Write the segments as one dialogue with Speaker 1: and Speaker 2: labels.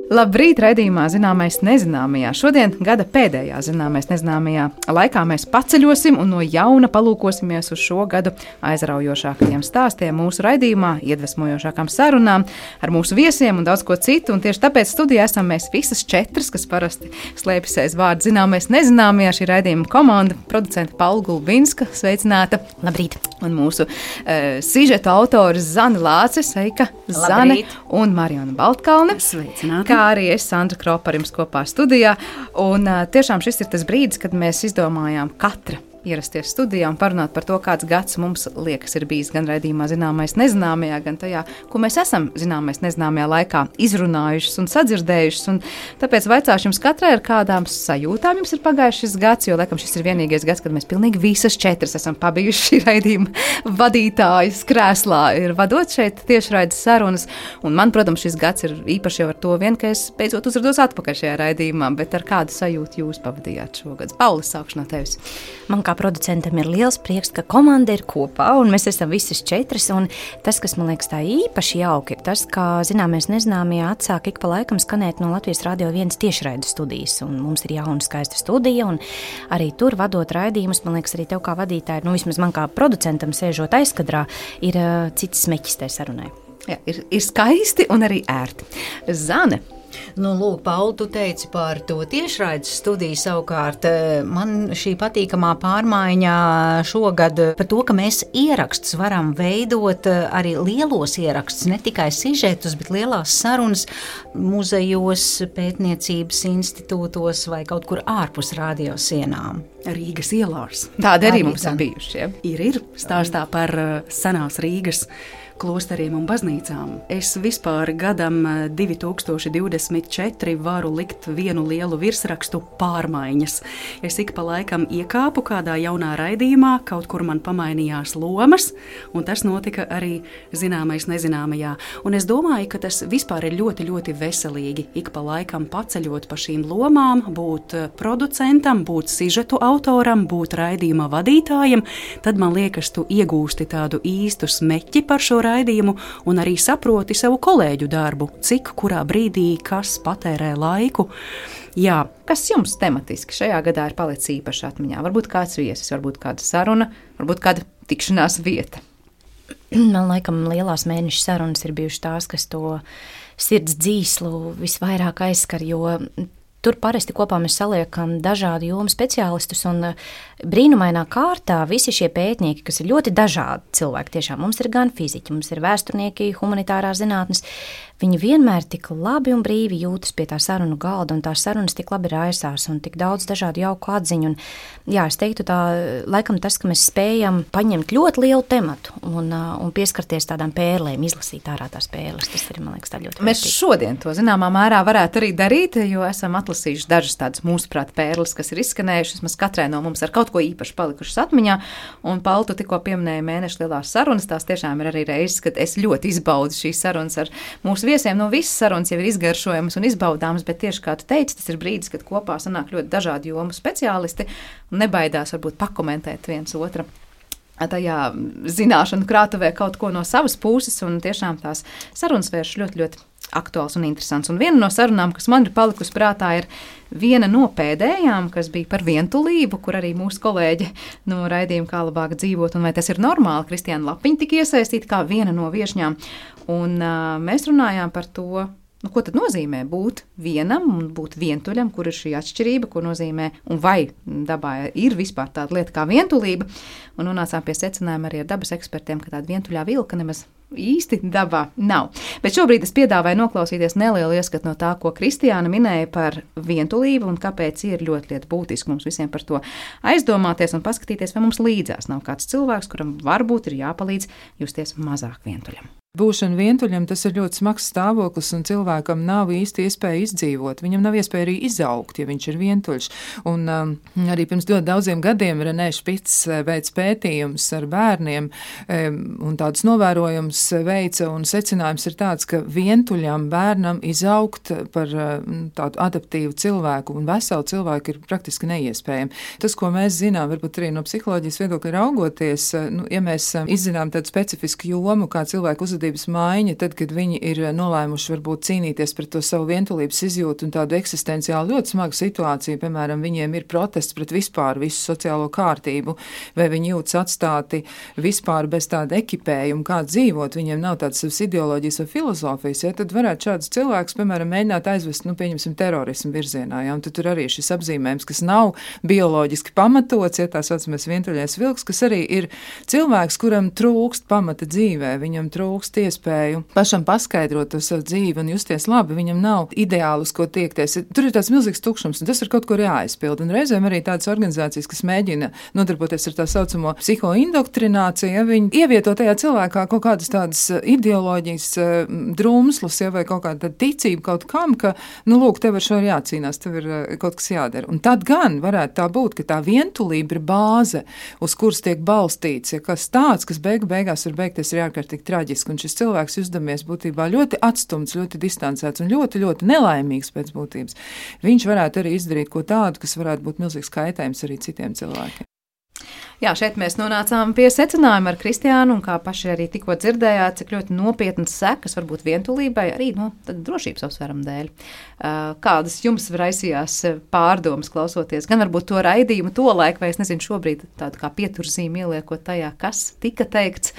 Speaker 1: Labrīt, raidījumā Zināmais nezināmajā. Šodien gada pēdējā Zināmais nezināmajā laikā mēs paceļosim un no jauna palūkosimies uz šo gadu aizraujošākajiem stāstiem mūsu raidījumā, iedvesmojošākām sarunām ar mūsu viesiem un daudz ko citu. Un tieši tāpēc studijā esam mēs visas četras, kas parasti slēpjas aiz vārda Zināmais nezināmajā. Šī raidījuma komanda, producente Paula Gulbinska, sveicināta.
Speaker 2: Labrīt!
Speaker 1: Un mūsu sižeta autoris Zane Lāce, sveika, Zane, un Marijona Baltkalne.
Speaker 2: Sveicināti!
Speaker 1: Kā arī es, Sandra Kropa, ar jums kopā studijā. Un tiešām šis ir tas brīdis, kad mēs izdomājām katra ierasties studijā un parunāt par to, kāds gads mums liekas ir bijis gan raidījumā Zināmais nezināmajā, gan tajā, ko mēs esam Zināmais nezināmajā laikā izrunājušas un sadzirdējušas. Un tāpēc vaicāšu jums katrai, ar kādām sajūtām jums ir pagājis šis gads, jo, laikam, šis ir vienīgais gads, kad mēs pilnīgi visas četras esam pabijuši šī raidījuma vadītājas krēslā, ir vadot šeit tiešraides sarunas. Un man, protams, šis gads ir īpaši jau ar to vien, ka es beidzot uzrados atpakaļ šajā raidījumā, bet ar kādu sajūtu jūs pavadījāt šogad? Paula, sākšu no tevis.
Speaker 2: Man kā producentam ir liels prieks, ka komanda ir kopā un mēs esam visas četras. Un tas, kas man liekas tā īpaši jauki, ir tas, ka Zināmais nezināmajā atsāk ik pa laikam skanēt no Latvijas Radio 1 tiešraides studijas. Un mums ir jauna skaista studija un arī tur vadot raidījumus, man liekas, arī tev kā vadītāji, vismaz man kā producentam sēžot aizkadrā, ir cits smeķis tai sarunai.
Speaker 1: Jā, ir skaisti un arī ērti. Zane.
Speaker 3: Lūk, Paula, tu teici par to tiešraides studiju savukārt. Man šī patīkamā pārmaiņa šogad par to, ka mēs ierakstus varam veidot, arī lielos ierakstus, ne tikai sižetus, bet lielās sarunas muzejos, pētniecības institūtos vai kaut kur ārpus radiosienām.
Speaker 4: Rīgas ielās.
Speaker 1: Tādi arī mums ir bijuši. Ja?
Speaker 4: Ir stāstā par senās Rīgas klosteriem un baznīcām. Es vispār gadam 2024 varu likt vienu lielu virsrakstu pārmaiņas. Es ik pa laikam iekāpu kādā jaunā raidījumā, kaut kur man pamainījās lomas, un tas notika arī Zināmais nezināmajā. Un es domāju, ka tas vispār ir ļoti, ļoti veselīgi. Ik pa laikam paceļot pa šīm lomām, būt producentam, būt sižetu autoram, būt raidījuma vadītājam, tad man liekas, tu iegūsti tādu īstu smeķi par šo raidījumu un arī saproti savu kolēģu darbu, cik kurā brīdī kas patērē laiku. Jā.
Speaker 1: Kas jums tematiski šajā gadā ir palicis īpaši atmiņā? Varbūt kāds viesis, varbūt kāda saruna, varbūt kāda tikšanās vieta.
Speaker 2: Man laikam lielās mēneša sarunas ir bijušas tās, kas to sirds dzīslu visvairāk aizskar, jo tur parasti kopā mēs saliekam dažādu jomu speciālistus un brīnumainā kārtā visi šie pētnieki, kas ir ļoti dažādi cilvēki, tiešām mums ir gan fiziķi, mums ir vēsturnieki, humanitārās zinātnes, viņi vienmēr tik labi un brīvi jūtas pie tā sarunu galda un tās sarunas tik labi raisās un tik daudz dažādu jauku atziņu. Un, jā, es teiktu tā, laikam tas, ka mēs spējam paņemt ļoti lielu tematu un pieskarties tādām pērlēm, izlasīt ārā tās pērles, tas ir, man liekas, tā ļoti
Speaker 1: Mēs
Speaker 2: vērtīgi.
Speaker 1: šodien to zināmā mērā varētu arī darīt, jo esam atlasījuši dažas tādas mūsuprāt pērles, kas ir izskanējušas, mēs katrai no mums ar kaut ko īpaši palikušas atmiņā, un Paula, tu tikko pieminēji mēneša lielās sarunas, tās tiešām ir arī reizes, kad es ļoti izbaudu šīs sarunas ar mūsu viesiem. Visas sarunas jau ir izgaršojamas un izbaudāmas, bet tieši kā tu teici, tas ir brīdis, kad kopā sanāk ļoti dažādi jomu speciālisti un nebaidās varbūt pakomentēt viens otra tajā zināšanu krātuvē kaut ko no savas puses, un tiešām tās sarunas vērš ļoti, ļoti aktuāls un interesants. Un viena no sarunām, kas man ir palikusi prātā, ir viena no pēdējām, kas bija par vientulību, kur arī mūsu kolēģi no raidījuma Kā labāk dzīvot, un vai tas ir normāli, Kristiāna Lapiņa tika iesaistīta kā viena no viešņām, un mēs runājām par to, ko tad nozīmē būt vienam un būt vientuļam, kur ir šī atšķirība, ko nozīmē un vai dabā ir vispār tāda lieta kā vientulība, un nonācām pie secinājuma arī ar dabas ekspertiem, ka tāda vientuļā vilka nemaz īsti dabā nav. Bet šobrīd es piedāvāju noklausīties nelielu ieskatu no tā, ko Kristiāna minēja par vientulību un kāpēc ir ļoti būtiski mums visiem par to aizdomāties un paskatīties, vai mums līdzās nav kāds cilvēks, kuram varbūt ir jāpalīdz justies mazāk vientuļam.
Speaker 5: Būšana vientuļam, tas ir ļoti smags stāvoklis, un cilvēkam nav īsti iespēja izdzīvot. Viņam nav iespēja arī izaugt, ja viņš ir vientuļš. Un arī pirms ļoti daudziem gadiem Renē Špits veic pētījums ar bērniem un tādus novērojumus veica, un secinājums ir tāds, ka vientuļam bērnam izaugt par tādu adaptīvu cilvēku un veselu cilvēku ir praktiski neiespējami. Tas, ko mēs zinām, varbūt arī no psiholoģijas viedokļa raugoties, ja mēs izzinām tādu specifisku jomu, kā cilvēku uzvedību uzvedības maiņa, tad, kad viņi ir nolēmuši varbūt cīnīties pret to savu vientulības izjūtu un tādu eksistenciāli ļoti smagu situāciju, piemēram, viņiem ir protests pret vispār visu sociālo kārtību, vai viņi jūtas atstāti vispār bez tāda ekipējuma, kā dzīvot, viņiem nav tādas savas ideoloģijas vai filozofijas, ja, tad varētu šādus cilvēkus, piemēram, mēģināt aizvest, pieņemsim, terorismu virzienā, ja, un tad tur arī šis apzīmējums, kas nav bioloģiski pamatots, ja tā saucamies vientuļais vilks, kas arī ir cilvēks, kuram trūkst pamata dzīvē, viņam trūkst iespēju pašam paskaidrot to savu dzīvi un justies labi, viņam nav ideāli, uz ko tiekties. Tur ir tāds milzīgs tukšums, un tas ir kaut kur jāaizpild. Un reizēm arī tādas organizācijas, kas mēģina nodarboties ar tā saucamo psihoindoktrināciju, ja viņi ievieto tajā cilvēkā kaut kādas tādas ideoloģijas drumslus, ja, vai kaut kāda ticība kaut kam, ka, lūk, tev ar šo ir jācīnās, tev ir kaut kas jādara. Un tad gan varētu tā būt, ka tā vientulība ir bāze, uz kuras tiek balstīts, ja kas tāds, kas beigās var beigties ir ārkārtīgi traģiski, un šis cilvēks uzdamies būtībā ļoti atstumts, ļoti distancēts un ļoti, ļoti nelaimīgs pēc būtības. Viņš varētu arī izdarīt ko tādu, kas varētu būt milzīgs kaitējums arī citiem cilvēkiem.
Speaker 1: Jā, šeit mēs nonācām pie secinājuma ar Kristiānu, un kā paši arī tikko dzirdējāt, cik ļoti nopietnas sekas var būt vientulībai, arī drošības apsvērumu dēļ. Kādas jums raisījās pārdomas klausoties, gan varbūt to raidījumu tolaik, vai es nezinu šobrīd tādu kā pieturzīmi ieliekot tajā, kas tika teikts.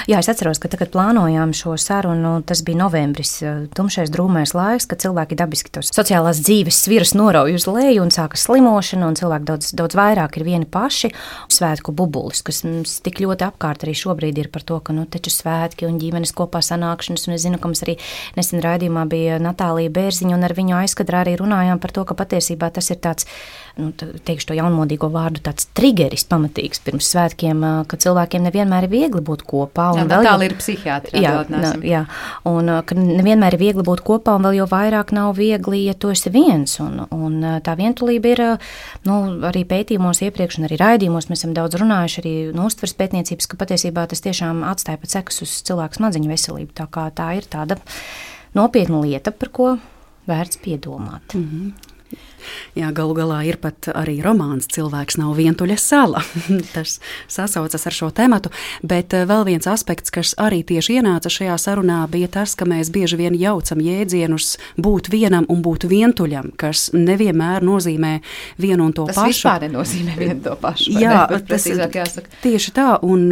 Speaker 2: Jā, es atceros, ka tagad plānojām šo sarunu, tas bija novembris, tumšais drūmais laiks, kad cilvēki dabiski tos sociālās dzīves sviras norauj uz leju un sākas slimošana, un cilvēki daudz vairāk ir vieni paši. Svētku bubulis, kas mums tik ļoti apkārt arī šobrīd ir par to, ka taču svētki un ģimenes kopā sanākšanas, un es zinu, ka mums arī nesen raidījumā bija Natālija Bērziņa, un ar viņu aizkadrā arī runājām par to, ka patiesībā tas ir tāds, teikšu to jaunmodīgo vārdu, tāds trigeris pamatīgs pirms svētkiem, ka cilvēkiem nevienmēr ir viegli būt kopā.
Speaker 1: Natālija ir psihiatri.
Speaker 2: Jā, un ka nevienmēr ir viegli būt kopā, un vēl jau vairāk nav viegli, ja tu esi viens. Un tā vientulība ir, arī pētījumos iepriekš, un arī raidījumos mēs esam daudz runājuši, arī uztveres pētniecības, ka patiesībā tas tiešām atstāja pat sekas uz cilvēku smadzeņu veselību. Tā kā tā ir tāda nopietna lieta, par ko vērts piedomāt.
Speaker 4: Jā, galu galā ir pat arī romāns Cilvēks nav vientuļa sala. Tas sasaucas ar šo tematu, bet vēl viens aspekts, kas arī tieši ienāca šajā sarunā, bija tas, ka mēs bieži vien jaucam jēdzienus būt vienam un būt vientuļam, kas nevienmēr nozīmē vienu un to pašu.
Speaker 1: Tas vispār nenozīmē vienu to pašu.
Speaker 4: Jā, tas tieši tā, un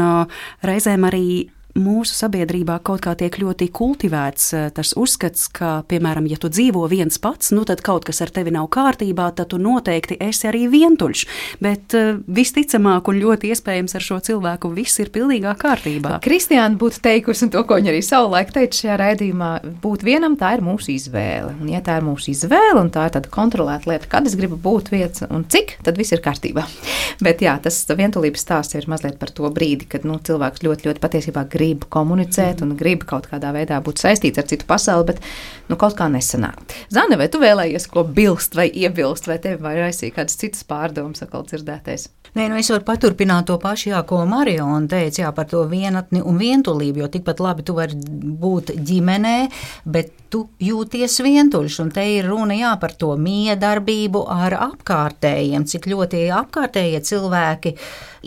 Speaker 4: reizēm arī mūsu sabiedrībā kaut kā tiek ļoti kultivēts tas uzskats, ka, piemēram, ja tu dzīvo viens pats, tad kaut kas ar tevi nav kārtībā, tad tu noteikti esi arī vientuļš. Bet visticamāk un ļoti iespējams ar šo cilvēku viss ir pilnīgā kārtībā.
Speaker 1: Kristiāna būtu teikusi, un to, ko viņa arī savulaik teica šajā raidījumā, būt vienam, tā ir mūsu izvēle. Un ja tā ir mūsu izvēle, un tā ir tāda kontrolēta lieta, kad es gribu būt viens un cik, tad viss ir kārtībā. Bet jā, tas vientulības stāsts ir mazliet par to brīdi, kad cilvēks ļoti, ļoti patiesībā grib komunicēt un grib kaut kādā veidā būt saistīts ar citu pasauli, bet kaut kā nesanāk. Zane, vai tu vēlējies ko bilst vai iebilst, vai tevi vai raisīja kādas citas pārdomas atkal dzirdētais?
Speaker 3: Nē, es varu paturpināt to pašu, ko Mariona teica, par to vienatni un vientulību, jo tikpat labi tu vari būt ģimenē, bet tu jūties vientuļš, un te ir runa par to miedarbību ar apkārtējiem, cik ļoti apkārtējie cilvēki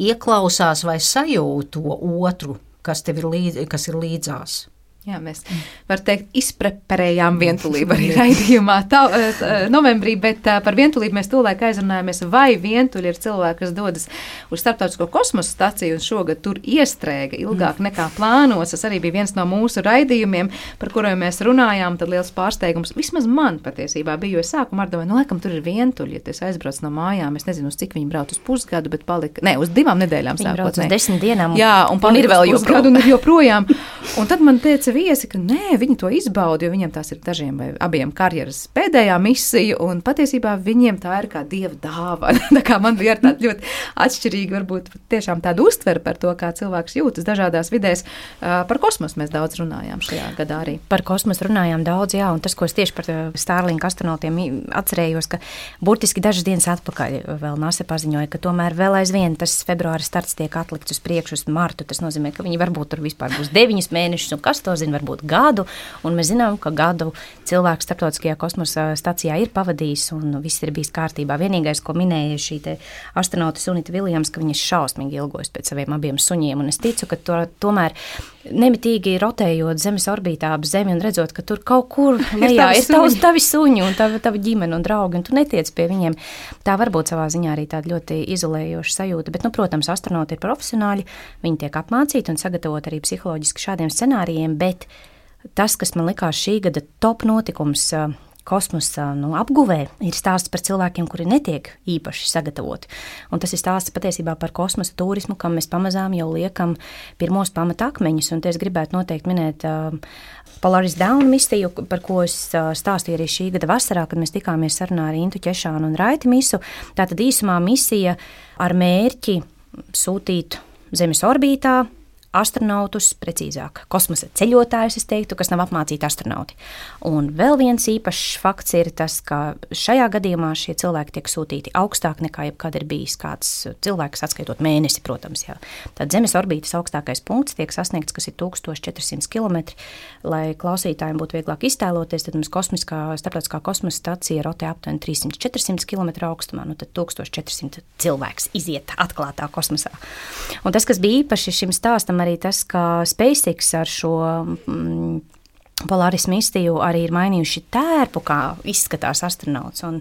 Speaker 3: ieklausās vai sajūt to otru, kas ir līdzās.
Speaker 1: Jā, mēs var teikt, izpreparējām vientulību arī raidījumā novembrī, bet par vientulību mēs tolaik aizrunājāmies, vai vientuļi ir cilvēki, kas dodas uz starptautisko kosmosa staciju un šogad tur iestrēga ilgāk nekā plānos. Tas arī bija viens no mūsu raidījumiem, par kuriem mēs runājām, tad liels pārsteigums. Vismaz man patiesībā bija, jo es sākumā domāju, laikam tur ir vientuļi, ja es aizbraucu no mājām, es nezinu, uz cik viņi brauc uz pusgadu, bet palika, uz 2 nedēļām
Speaker 2: sākot. Viņi brauc uz 10 dienām.
Speaker 1: Jā, un palika vēl pusgadu un joprojām. Un tad man teica viesi, ka nē, viņi to izbauda, jo viņiem tās ir dažiem vai abiem karjeras pēdējā misija, un patiesībā viņiem tā ir kā dieva dāvana. Tā kā man bija tāda ļoti atšķirīga, varbūt tiešām tāda uztvere par to, kā cilvēks jūtas dažādās vidēs. Par kosmosu mēs daudz runājām šajā gadā arī.
Speaker 2: Par kosmosu runājām daudz, jā, un tas, ko es tieši par Starlink astronautiem atcerējos, ka burtiski dažas dienas atpakaļ vēl NASA paziņoja, ka tomēr vēl aizvien tas februāra starts tiek atlikts uz priekšu uz martu. Tas nozīmē, ka viņi varbūt tur vispār būs 9 mēnešus, un kas to zina. nezinu, varbūt gadu, un mēs zinām, ka gadu cilvēks starptautiskajā kosmosa stacijā ir pavadījis, un viss ir bijis kārtībā. Vienīgais, ko minēja šī te astronauta Sunita Viljams, ka viņa šausmīgi ilgojas pēc saviem abiem suņiem, un es ticu, ka tomēr nemitīgi rotējot Zemes orbītā ap Zemi un redzot, ka tur kaut kur lejā ir tavi suņi un tava ģimene un draugi, un tu netiec pie viņiem. Tā var būt savā ziņā arī tāda ļoti izolējoša sajūta, bet, protams, astronauti ir profesionāļi, viņi tiek apmācīti un sagatavot arī psiholoģiski šādiem scenārijiem, bet tas, kas man likās šī gada top notikums kosmosa apguvē, ir stāsts par cilvēkiem, kuri netiek īpaši sagatavoti. Un tas ir stāsts patiesībā par kosmosa turismu, kam mēs pamazām jau liekam pirmos pamatakmeņus. Un te es gribētu noteikti minēt Polaris Dawn misiju, par ko es stāstīju arī šī gada vasarā, kad mēs tikāmies sarunā ar Intu Ķešānu un Raiti Misu. Tātad īsumā misija ar mērķi sūtīt Zemes orbītā astronautus, precīzāk, kosmosa ceļotājus, es teiktu, kas nav apmācīti astronauti. Un vēl viens īpašs fakts ir tas, ka šajā gadījumā šie cilvēki tiek sūtīti augstāk nekā jebkad ir bijis kāds cilvēks, atskaitot mēnesi, protams. Jā. Tad Zemes orbītas augstākais punkts tiek sasniegts, kas ir 1400 km. Lai klausītājiem būtu vieglāk iztēloties, tad mums starptautiskā kosmosa stacija rotē aptuveni 300-400 km augstumā, tad 1400 cilvēks iziet atklātā kosmosā. Un tas, kas bija īpaši šim stāstam, arī tas, ka SpaceX ar šo Polaris misiju arī ir mainījuši tērpu, kā izskatās astronauts, un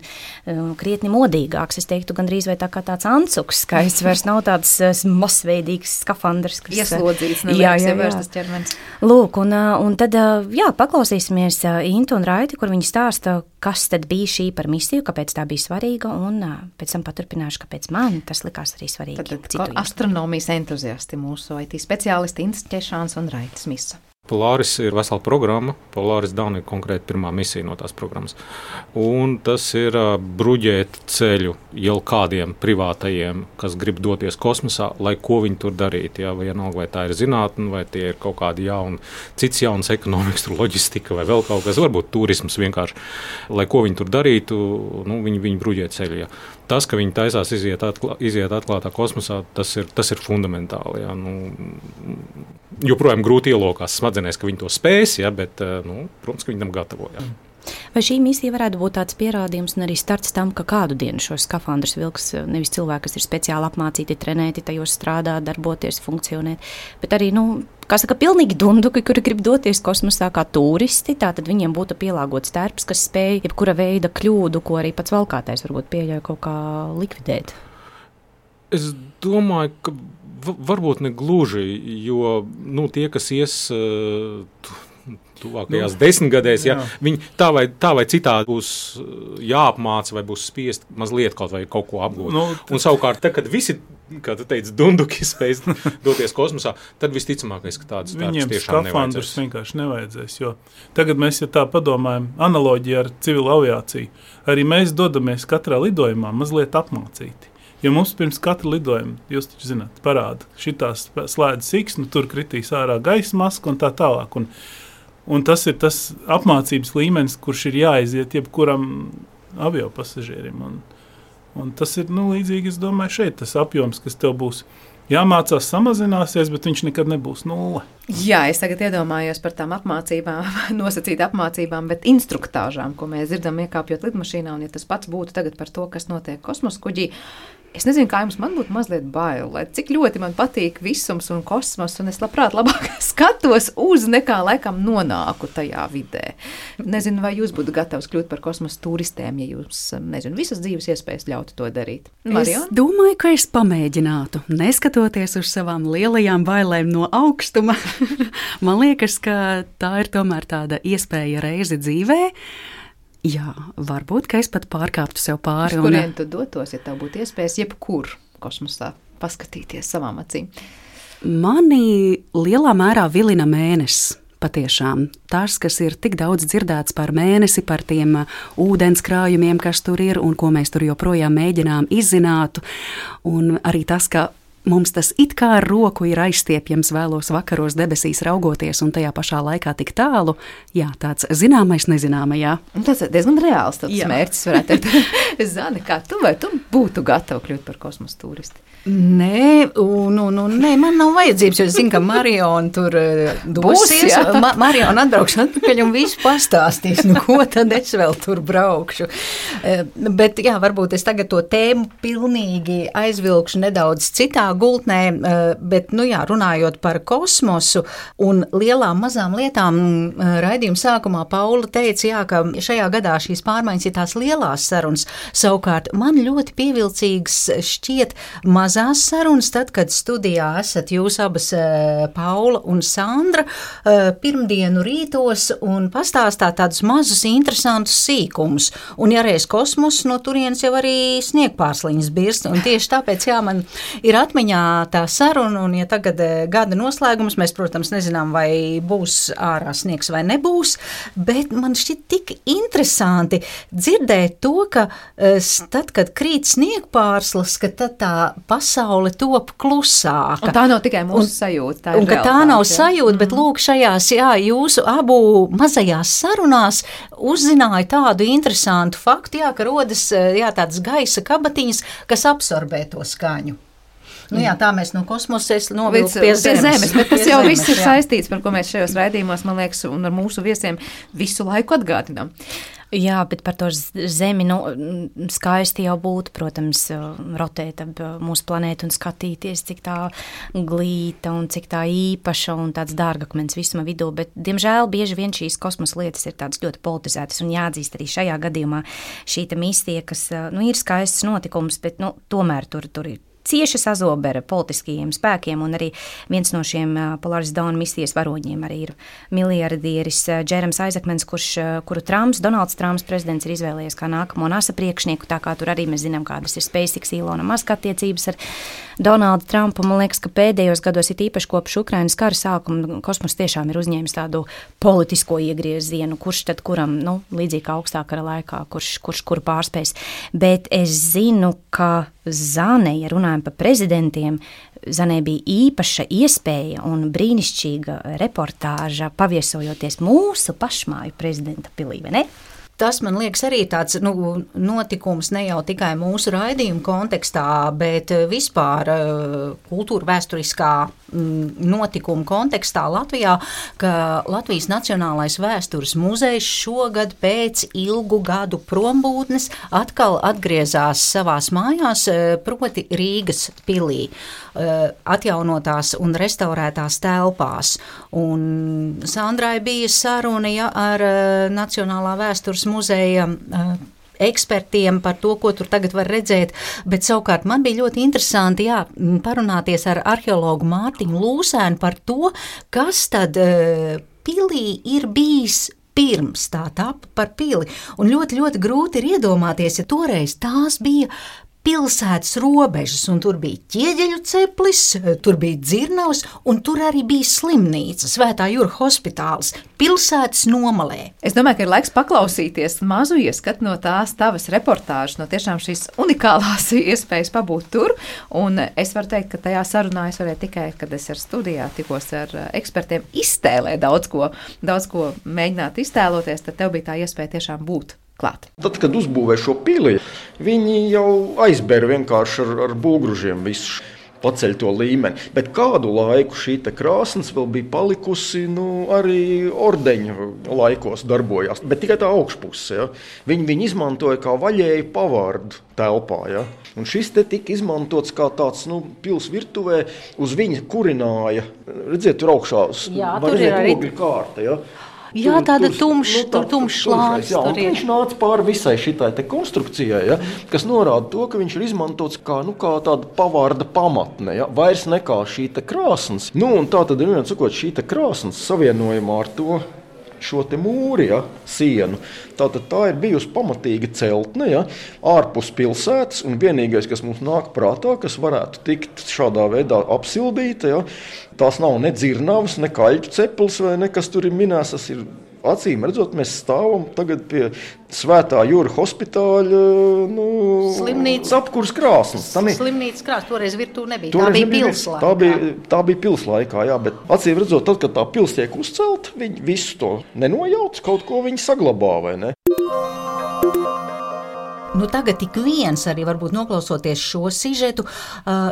Speaker 2: krietni modīgāks, es teiktu, gandrīz vai tā kā tāds ancuks skaists, vairs nav tāds masveidīgs skafandrs, kas
Speaker 1: ieslodzīts, nevajag vairs tas ķermenis.
Speaker 2: Lūk, un tad, paklausīsimies Intu un Raiti, kur viņi stāsta, kas tad bija šī par misiju, kāpēc tā bija svarīga, un pēc tam paturpināšu, kāpēc man tas likās arī svarīgi.
Speaker 1: Tad astronomijas entuziasti mūsu IT speciālisti Ints Ķešāns un Raitis Misa.
Speaker 6: Polaris ir vesela programma. Polaris Dawn ir konkrēti pirmā misija no tās programmas. Un tas ir bruģēt ceļu jau kādiem privātajiem, kas grib doties kosmosā, lai ko viņi tur darītu. Ja? Vienalga, vai tā ir zinātne, vai tie ir kaut kādi cits jauns ekonomikas, loģistika vai vēl kaut kas, varbūt turisms vienkārši. Lai ko viņi tur darītu, viņi bruģē ceļu. Ja? Tas, ka viņi taisās iziet atklātā kosmosā, tas ir fundamentāli. Ja? Joprojām grūti ielokās smadzenēs, ka viņi to spēs, ja? Bet, protams, ka viņi tam gatavo. Ja?
Speaker 2: Vai šī misija varētu būt tāds pierādījums un arī starts tam, ka kādu dienu šos skafandrus vilks nevis cilvēki, kas ir speciāli apmācīti, trenēti, tajos strādāt, darboties, funkcionēt, bet arī, pilnīgi dunduki, kuri grib doties kosmosā kā turisti, tātad viņiem būtu pielāgots tērps, kas spēj jebkura veida kļūdu, ko arī pats valkātais varbūt pieļauj kaut kā likvidēt.
Speaker 6: Es domāju, ka varbūt ne gluži, jo tie, kas ies tuvākajās 10 gadēs, viņi tā vai citādi būs jāapmāca vai būs spiest mazliet kaut ko apgūt. Un savukārt, kad visi, kā tu teici, dunduki spēj doties kosmosā, tad visticamākais, ka tādas tērpus tiešām nevajadzēs. Viņiem skafandrus vienkārši nevajadzēs, jo tagad mēs, ja tā padomājam, analoģija ar civilu aviāciju, arī mēs dodamies katrā lidojumā mazliet apmācīti. Jo mums pirms katra lidojuma, jūs taču zināt, parāda, šitās slēdz siksnu, tur kritīs ārā gaisa maska un tā tālāk. Un tas ir tas apmācības līmenis, kurš ir jāaiziet jebkuram aviopasažierim. Un tas ir līdzīgi, es domāju, šeit tas apjoms, kas tev būs jāmācās, samazināsies, bet viņš nekad nebūs nulle.
Speaker 1: Jā, es tagad iedomājos par tām apmācībām, nosacīt apmācībām, bet instruktāžām, ko mēs dzirdam iekāpjot lidmašīnā, un ja tas pats būtu tagad par to, kas notiek kosmosa kuģī, es nezinu, kā jums, man būtu mazliet bail, lai cik ļoti man patīk visums un kosmos, un es labprāt labāk skatos uz nekā laikam nonāku tajā vidē. Nezinu, vai jūs būtu gatavs kļūt par kosmosa turistiem, ja jūs, visas dzīves iespējas ļautu to darīt. Marion?
Speaker 4: Es domāju, ka es pamēģinātu, neskatoties uz savām lielajām bailēm no augstuma. Man liekas, ka tā ir tomēr tāda iespēja reizi dzīvē. Jā, varbūt, ka es pat pārkāptu sev pāri.
Speaker 1: Uz kurien tu dotos, ja tev būtu iespējas jebkur kosmosā paskatīties savām acīm?
Speaker 4: Mani lielā mērā vilina mēnesis. Patiešām tas, kas ir tik daudz dzirdēts par mēnesi, par tiem ūdenskrājumiem, kas tur ir un ko mēs tur joprojām mēģinām izzināt. Un arī tas, ka Mums tas it kā ar roku ir aizstiepjams vēlos vakaros debesīs raugoties un tajā pašā laikā tik tālu. Jā, tāds zināmais nezināmajā.
Speaker 1: Tas ir diezgan reāls mērķis, varētu teikt. Zani, kā tu būtu gatava kļūt par kosmosa turisti?
Speaker 3: Nē, nē, man nav vajadzības, jo es zinu, ka Mariona tur dosies. Mariona atbraukšu atpakaļ un visu pastāstīs, ko tad es vēl tur braukšu. Bet jā, varbūt es tagad to tēmu pilnīgi aizvilkšu nedaudz citā gultnē, bet, runājot par kosmosu un lielām mazām lietām, raidījuma sākumā Paula teica, ka šajā gadā šīs pārmaiņas ir tās lielās sarunas. Savukārt man ļoti pievilcīgs šķiet mazās sarunas, tad, kad studijā esat jūs abas, Paula un Sandra, pirmdienu rītos un pastāstāt tādus mazus interesantus sīkumus. Un ja reiz kosmos, no turienes jau arī sniegpārsliņas birst. Un tieši tāpēc, man ir atmiņā tā saruna, un ja tagad gada noslēgums, mēs, protams, nezinām, vai būs ārā sniegs vai nebūs, bet man šķiet tik interesanti dzirdēt to, ka tad, kad krīt sniegpārslas, ka tad tā pasaule top klusāka.
Speaker 1: Un tā nav tikai mūsu sajūta.
Speaker 3: Tā nav sajūta, bet lūk šajās, jūsu abu mazajās sarunās uzzināja tādu interesantu faktu, ka rodas, tādas gaisa kabatiņas, kas absorbē to skaņu. Tā mēs no kosmosa novilkt pie zemes.
Speaker 1: Bet tas jau viss ir saistīts, par ko mēs šajos raidījumos, man liekas, un ar mūsu viesiem visu laiku atgādinām.
Speaker 2: Jā, bet par to zemi skaisti jau būtu, protams, rotēt ap mūsu planētu un skatīties, cik tā glīta un cik tā īpaša un tāds dārgakmens visuma vidū, bet, diemžēl, bieži vien šīs kosmosa lietas ir tādas ļoti politizētas un jāatzīst arī šajā gadījumā šī misija, kas, ir skaists notikums, bet, tomēr tur ir cieši sazobera politiskajiem spēkiem, un arī viens no šiem Polaris Dawn misijas varoņiem arī ir miljardieris Džerams Aizakmens, kuru Donalds Trumps prezidents ir izvēlējies kā nākamo NASA priekšnieku, tā kā tur arī mēs zinām, kādas ir SpaceX Ilona Maska attiecības ar Donaldu Trumpu. Man liekas, ka pēdējos gados ir īpaši kopš Ukrainas kara sākuma kosmos tiešām ir uzņēmis tādu politisko iegriezienu, kurš tad kuram, līdzīgi kā augstā kara laikā, kurš kuru pārspēs. Bet es zinu, ka Zane, ja runājam par prezidentiem, Zanē bija īpaša iespēja un brīnišķīga reportāža paviesojoties mūsu pašmāju prezidenta pilī, vai ne?
Speaker 3: Tas, man liekas, arī tāds notikums ne jau tikai mūsu raidījuma kontekstā, bet vispār kultūra vēsturiskā notikuma kontekstā Latvijā, ka Latvijas Nacionālais vēstures muzejs šogad pēc ilgu gadu prombūtnes atkal atgriezās savās mājās, proti Rīgas pilī, atjaunotās un restaurētās telpās. Un Sandrai bija saruna ar Nacionālā vēstures muzeja ekspertiem par to, ko tur tagad var redzēt, bet savukārt man bija ļoti interesanti parunāties ar arheologu Mārtiņu Lūsēnu par to, kas tad pilī ir bijis pirms tā tapa par pili. Un ļoti, ļoti grūti ir iedomāties, ja toreiz tās bija pilsētas robežas, un tur bija Ķieģeļu ceplis, tur bija Dzirnavas, un tur arī bija slimnīca, Svētā Jūra hospitāls, pilsētas nomalē.
Speaker 1: Es domāju, ka ir laiks paklausīties mazu ieskatu no tās tavas reportāžas, no tiešām šīs unikālās iespējas pabūt tur, un es varu teikt, ka tajā sarunā es varēju tikai, kad es ar studijā tikos ar ekspertiem, iztēlē daudz ko mēģināt iztēloties, tad tev bija tā iespēja tiešām būt klāt.
Speaker 7: Tad, kad uzbūvēja šo pili, viņi jau aizbēra vienkārši ar bulgružiem visu, paceļ to līmeni. Bet kādu laiku šī krāsnes vēl bija palikusi, arī ordeņu laikos darbojās, bet tikai tā augšpuse. Ja? Viņi izmantoja kā vaļēju pavārdu telpā. Ja? Un šis te tika izmantots kā tāds pils virtuvē, uz viņa kurināja. Redziet, tur augšā var redzēt ogļu kārta. Ja?
Speaker 3: Jā, tāda tumšs slānis.
Speaker 7: Viņš nāca pāri visai šitai konstrukcijai, ja, kas norāda to, ka viņš ir izmantots kā tāda pavārda pamatne, ja, vairs nekā šī krāsnes. Un tā tad ir sakot, šī krāsnes savienojumā ar šo te mūri, ja, sienu. Tātad tā ir bijusi pamatīga celtne, ja, ārpus pilsētas, un vienīgais, kas mums nāk prātā, kas varētu tikt šādā veidā apsildīta, ja, tās nav ne Dzirnavas, ne Kaļķu ceplis vai nekas tur ir minēts, tas ir acīm redzot, mēs stāvam tagad pie Svētā Jūra hospitāļa
Speaker 3: slimnīcas
Speaker 7: apkurs krāsnes.
Speaker 3: Slimnīcas krāsnes, toreiz virtuve nebija. Tā bija pilslaikā.
Speaker 7: Tā bija pilslaikā, jā, bet acīm redzot, tad, kad tā pils tiek uzcelta, viņi visu to nenojauc, kaut ko viņi saglabā, vai ne?
Speaker 3: Tagad ik viens, arī varbūt noklausoties šo sižetu,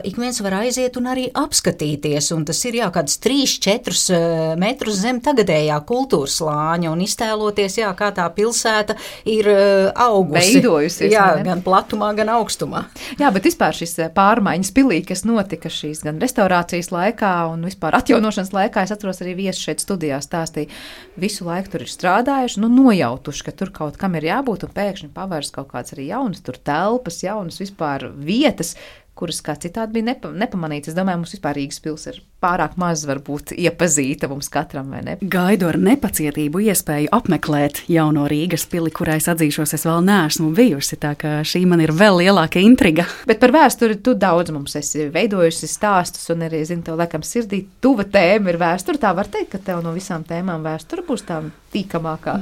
Speaker 3: ik viens var aiziet un arī apskatīties, un tas ir kāds 3-4 metrus zem tagadējā kultūras slāņa, un iztēloties, kā tā pilsēta ir augusi.
Speaker 1: Veidojusies.
Speaker 3: Gan platumā, gan augstumā.
Speaker 1: Jā, bet vispār šis pārmaiņas pilī, kas notika šīs gan restaurācijas laikā un vispār atjaunošanas laikā, es atceros arī viesi šeit studijā stāstīja, visu laiku tur ir strādājuši, nojautuši, ka tur kaut kam ir jābūt, un pēkšņi pavērs kaut kāds arī jaunas tur telpas, jaunas vispār vietas, kuras kā citādi bija nepamanīts. Es domāju, mums vispār Rīgas pils ir pārāk maz varbūt iepazīta mums katram, vai ne?
Speaker 4: Gaidu ar nepacietību iespēju apmeklēt jauno Rīgas pili, kurā es atzīšos, es vēl neesmu bijusi, tā ka šī man ir vēl lielāka intriga.
Speaker 1: Bet par vēsturi tu daudz mums esi veidojusi stāstus, un arī, zinu, tev laikam sirdī tuva tēma ir vēsture. Tā var teikt, ka tev no visām tēmām vēsture būs tā tīkamākā.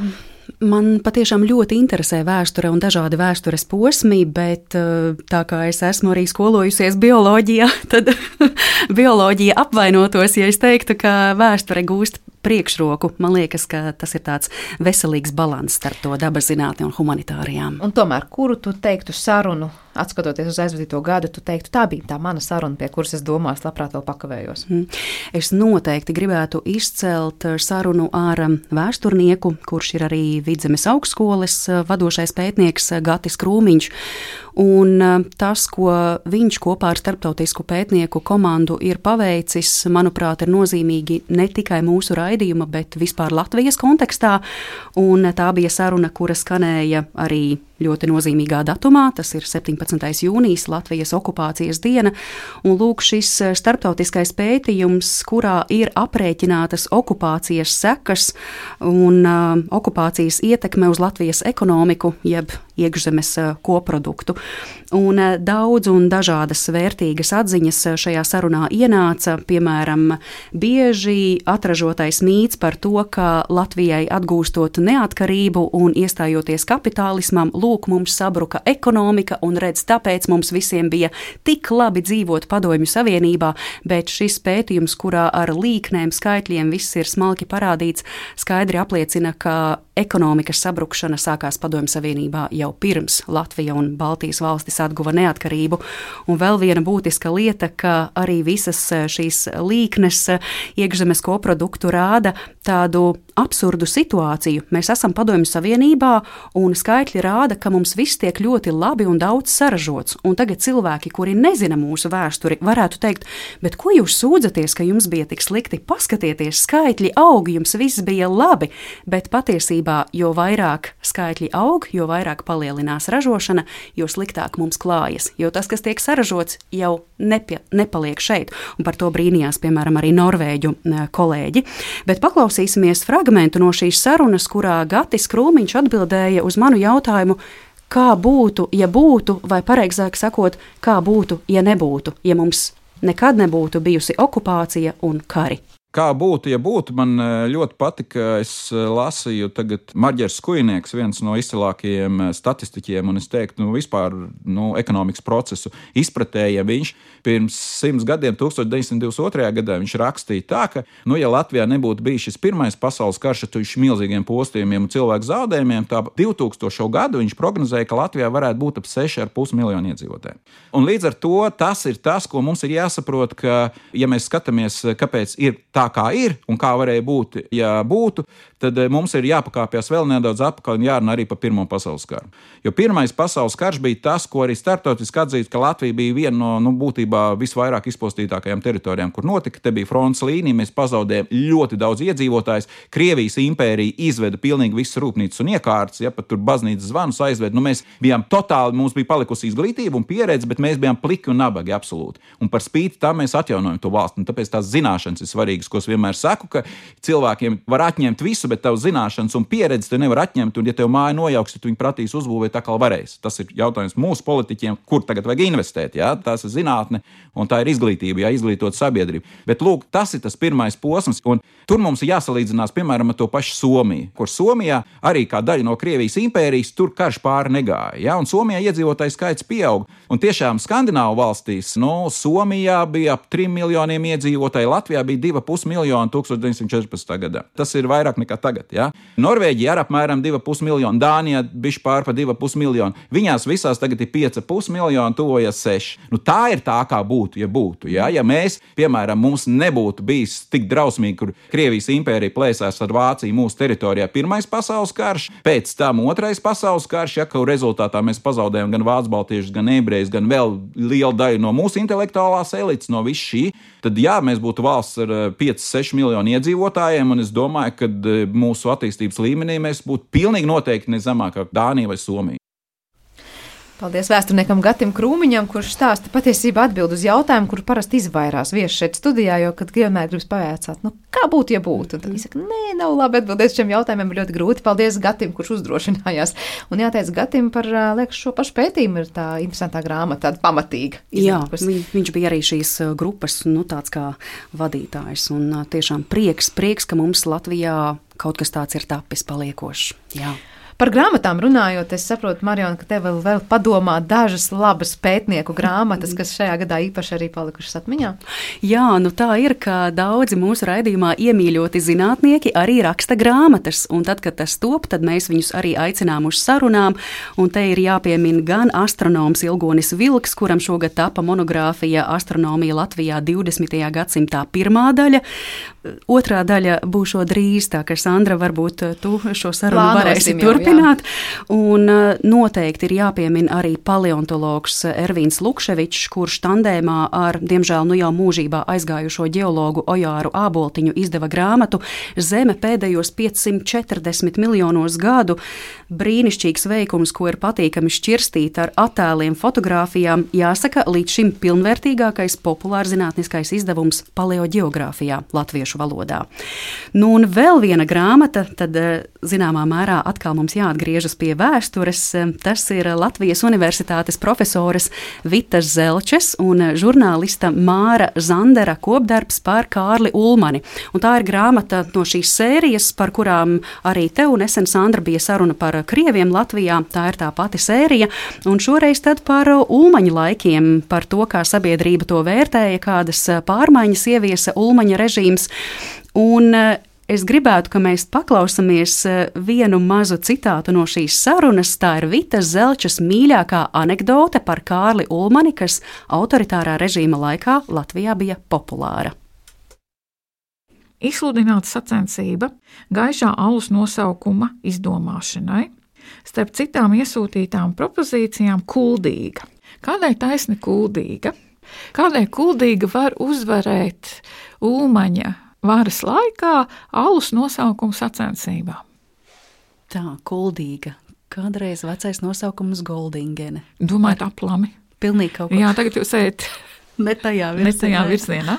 Speaker 4: Man patiešām ļoti interesē vēsture un dažādi vēstures posmi, bet tā kā es esmu arī skolojusies bioloģijā, tad bioloģija apvainotos, ja es teiktu, ka vēsture gūst priekšroku. Man liekas, ka tas ir tāds veselīgs balans starp to dabaszinātni un humanitārijām.
Speaker 1: Un tomēr, kuru tu teiktu sarunu, atskatoties uz aizvadīto gadu, tu teiktu, tā bija tā mana saruna, pie kuras es domāju, labprāt vēl pakavējos?
Speaker 4: Es noteikti gribētu izcelt sarunu ar vēsturnieku, kurš ir arī Vidzemes augstskolas vadošais pētnieks Gatis Krūmiņš. Un tas, ko viņš kopā ar starptautisku pētnieku komandu ir paveicis, manuprāt, ir nozīmīgi ne tikai mūsu raidījuma, bet vispār Latvijas kontekstā. Un tā bija saruna, kura skanēja arī ļoti nozīmīgā datumā, tas ir 17. jūnijas, Latvijas okupācijas diena. Un lūk, šis starptautiskais pētījums, kurā ir aprēķinātas okupācijas sekas un okupācijas ietekme uz Latvijas ekonomiku, jeb iekšzemes koproduktu. Un daudz un dažādas vērtīgas atziņas šajā sarunā ienāca, piemēram, bieži atražotais mīts par to, ka Latvijai atgūstot neatkarību un iestājoties kapitālismam, lūk, mums sabruka ekonomika un redz, tāpēc mums visiem bija tik labi dzīvot Padomju Savienībā, bet šis pētījums, kurā ar līknēm, skaitļiem viss ir smalki parādīts, skaidri apliecina, ka ekonomikas sabrukšana sākās Padomju Savienībā jau pirms Latvija un Baltijas valstis atguva neatkarību. Un vēl viena būtiska lieta, ka arī visas šīs līknes iekšzemes koproduktu rāda tādu absurdu situāciju. Mēs esam Padomju Savienībā un skaitļi rāda, ka mums viss tiek ļoti labi un daudz saražots. Un tagad cilvēki, kuri nezina mūsu vēsturi, varētu teikt, bet ko jūs sūdzaties, ka jums bija tik slikti? Paskatieties, skaitļi aug, jums viss bija labi, bet patiesībā, jo vairāk skaitļi aug, jo vairāk palielinās ražošana, jo sliktāk mums klājas. Jo tas, kas tiek saražots, jau nepaliek šeit. Un par to brīnījās, piemēram, arī norvēģu kolēģi. Bet paklausīsimies fragmentu no šīs sarunas, kurā Gatis Krūmiņš atbildēja uz manu jautājumu, kā būtu, ja būtu, vai pareizāk sakot, kā būtu, ja nebūtu, ja mums nekad nebūtu bijusi okupācija un kari.
Speaker 8: Kā būtu, ja būtu, man ļoti patika, es lasīju tagad Marģers Skujnieks, viens no izcilākajiem statistiķiem, un es teiktu, vispār ekonomikas procesu izpratējiem. Viņš pirms 100 gadiem, 1922. gadā, viņš rakstīja tā, ka, ja Latvijā nebūtu bijis šis pirmais pasaules karš ar milzīgiem postījumiem un cilvēku zaudējumiem, tā 2000. gadu viņš prognozēja, ka Latvijā varētu būt ap 6,5 miljonu iedzīvotāju. Un līdz ar to tas ir tas, ko mums ir jāsaprot, ka, ja mēs skatāmies, kāpēc ir tā, kā ir un kā varēja būt, ja būtu, tad mums ir jāpakāpjas vēl nedaudz atpakaļ un jārunā arī par Pirmo pasaules karu. Jo Pirmais pasaules karš bija tas, ko arī starptautiski atzīst, ka Latvija bija viena no būtībā visvairāk izpostītākajām teritorijām, kur notika. Te bija frontes līnija, mēs pazaudējām ļoti daudz iedzīvotājus. Krievijas impērija izveda pilnīgi visas rūpnīcas un iekārtas, pat tur baznīcas zvanus aizveda. Mēs bijām totāli, mums bija palikusi izglītība un pieredze, bet mēs bijām pliki un nabagi absolūti. Un par spīti tam mēs atjaunojam to valsti, un tāpēc tās zināšanas ir svarīgas. ko es vienmēr saku, ka cilvēkiem var atņemt visu, bet tavu zināšanas un pieredzi tu nevar atņemt, un ja tev māja nojauks, tad viņi prasīs uzbūvēt atkal varēs. Tas ir jautājums mūsu politiķiem, kur tagad vajag investēt, jā? Tās ir zinātne un tā ir izglītība, jā, izglītot sabiedrību. Bet, lūk, tas ir tas pirmais posms, un tur mums ir jāsalīdzinās, piemēram, ar to pašu Somiju, kur Somijā arī kā daļa no Krievijas impērijas tur karš pāri negāja, jā, un Somijā iedzīvotāju skaits pieaug, un tiešām Skandināvu valstīs, Somijā bija ap 3 miljoniem iedzīvotāju, Latvijā bija 2,5 miljoni 1914. gadā. Tas ir vairāk nekā tagad, jā. Norvēģija ar apmēram 2,5 miljoni, Dānijā bišķi pār pa 2,5 miljoni, viņās visās tagad ir 5,5 miljoni, tuvojas 6. Tā ir tā, kā būtu, ja būtu, jā. Ja mēs, piemēram, mums nebūtu bijis tik drausmīgi, kur Krievijas impērija plēsās ar Vāciju mūsu teritorijā Pirmais pasaules karš, pēc tam Otrais pasaules karš, ja, ka rezultātā mēs pazaudējam gan vācu baltiešus, gan ebrejus, gan vēl lielu daļu no mūsu intelektuālās elites, no viss šī, tad jā, mēs būtu valsts ar 5-6 miljonu iedzīvotājiem, un es domāju, ka mūsu attīstības līmenī mēs būtu pilnīgi noteikti ne zemāk kā Dānija vai Somija.
Speaker 1: Paldies vēsturniekam Gatim Krūmiņam, kurš stāsta patiesībā atbild uz jautājumu, kuru parasti izvairās viesi šeit studijā, jo, kad vienmēr gribas pavaicāt, kā būtu, ja būtu. Un tad viņi saka, nē, nav labi atbildēt šiem jautājumiem, ļoti grūti. Paldies Gatim, kurš uzdrošinājās. Un jāteic Gatim par, liekas, šo pašu pētījumu ir tā interesantā grāmata, tāda pamatīga.
Speaker 4: Jā, viņš bija arī šīs grupas, tāds kā vadītājs. Un tiešām prieks, ka mums Latvijā kaut kas tāds ir tapis paliekošs. Jā.
Speaker 1: Par grāmatām runājot, es saprotu, Mariona, ka tev vēl padomā dažas labas pētnieku grāmatas, kas šajā gadā īpaši arī palikušas atmiņā.
Speaker 4: Jā, tā ir, ka daudzi mūsu raidījumā iemīļoti zinātnieki arī raksta grāmatas, un tad, kad tas top, tad mēs viņus arī aicinām uz sarunām, un te ir jāpiemina gan astronoms Ilgonis Vilks, kuram šogad tapa monogrāfija Astronomija Latvijā 20. gadsimtā pirmā daļa, otrā daļa būšot drīz, tā ka Sandra, varbūt tu šo sarunu varēsi turpināt. Un noteikti ir jāpiemina arī paleontologs Ervīns Lukševičs, kurš tandēmā ar, diemžēl, jau mūžībā aizgājušo ģeologu Ojāru Āboltiņu izdeva grāmatu Zeme pēdējos 540 miljonos gadu. Brīnišķīgs veikums, ko ir patīkami šķirstīt ar attēliem, fotogrāfijām. Jāsaka, līdz šim pilnvērtīgākais populārzinātniskais izdevums paleoģeogrāfijā latviešu valodā. Un vēl viena grāmata, tad zināmā mērā atkal mums jāatgriežas pie vēstures. Tas ir Latvijas Universitātes profesores Vitas Zelčes un žurnālista Māra Zandera kopdarbs par Kārli Ulmani. Un tā ir grāmata no šīs sērijas, par kurām arī tev nesen, Sandra, bija saruna par krieviem Latvijā. Tā ir tā pati sērija. Un šoreiz tad par Ulmaņa laikiem, par to, kā sabiedrība to vērtēja, kādas pārmaiņas ieviesa Ulmaņa režīms. Un es gribētu, ka mēs paklausāmies vienu mazu citātu no šīs sarunas. Tā ir Vitas Zelčas mīļākā anekdote par Kārli Ulmani, kas autoritārā režīma laikā Latvijā bija populāra.
Speaker 9: Izsludināta sacensība gaišā alus nosaukuma izdomāšanai, starp citām iesūtītām propozīcijām kuldīga. Kādai taisni kuldīga? Kādai kuldīga var uzvarēt Ulmaņa varas laikā alus nosaukumu sacensībā?
Speaker 4: Tā, kuldīga. Kādreiz vecais nosaukums Goldingene.
Speaker 9: Domājat aplami?
Speaker 4: Pilnīgi kaut ko.
Speaker 9: Jā, tagad jūs ejat
Speaker 4: ne tajā
Speaker 9: virzienā.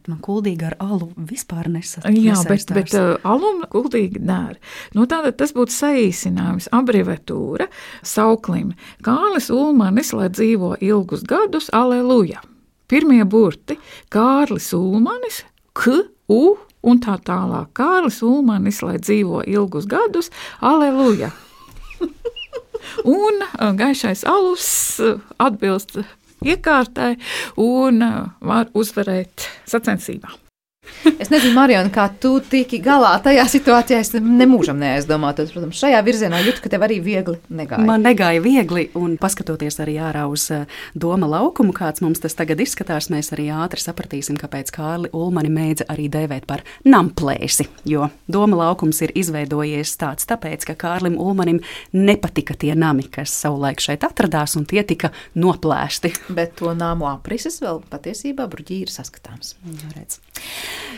Speaker 4: Man kuldīga ar alu vispār nesaistās.
Speaker 9: Jā, bet alum kuldīga dēr. Tātad tas būtu saīsinājums, abreviatūra sauklim. Kārlis Ulmanis, lai dzīvo ilgus gadus, aleluja. Pirmie burti – Kārlis Ulmanis, K, U un tā tālāk. Kārlis Ulmanis, lai dzīvo ilgus gadus, aleluja. Un gaišais alus atbilst iekārtai un var uzvarēt sacensībā.
Speaker 1: Es nezinu, Mariona, kā tu tiki galā tajā situācijā, es nemūžam neaizdomātos. Protams, šajā virzienā jūtu, ka tev arī viegli negāja.
Speaker 4: Man negāja viegli, un paskatoties arī ārā uz doma laukumu, kāds mums tas tagad izskatās, mēs arī ātri sapratīsim, kāpēc Kārli Ulmani mēdza arī dēvēt par namplēsi, jo doma laukums ir izveidojies tāds tāpēc, ka Kārlim Ulmanim nepatika tie nami, kas savulaik šeit atradās, un tie tika noplēsti.
Speaker 1: Bet to nāmu aprises vēl patiesībā bruģī ir saskatāms.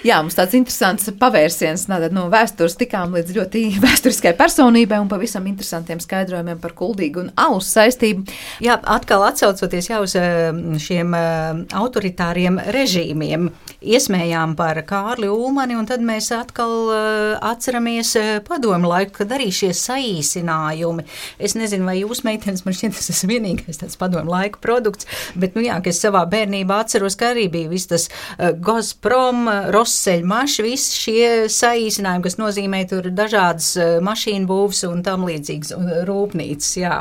Speaker 1: Jā, mums tāds interesants pavērsiens no vēstures tikām līdz ļoti vēsturiskai personībai un pavisam interesantiem skaidrojumiem par kuldīgu un alus saistību.
Speaker 3: Jā, atkal atsaucoties jau uz šiem autoritāriem režīmiem. iesmējām par Kārli Ulmani, un tad mēs atkal atceramies padomu laiku, kad arī šie saīsinājumi. Es nezinu, vai jūs, meitenes, man šķiet, tas ir vienīgais tāds padomu laiku produkts, bet, nu jā, ka es savā bērnībā atceros, ka arī bija viss tas Gazprom, Rosseļmaš, visi šie saīsinājumi, kas nozīmē tur dažādas mašīnu būvs un tam līdzīgas rūpnīcas, jā.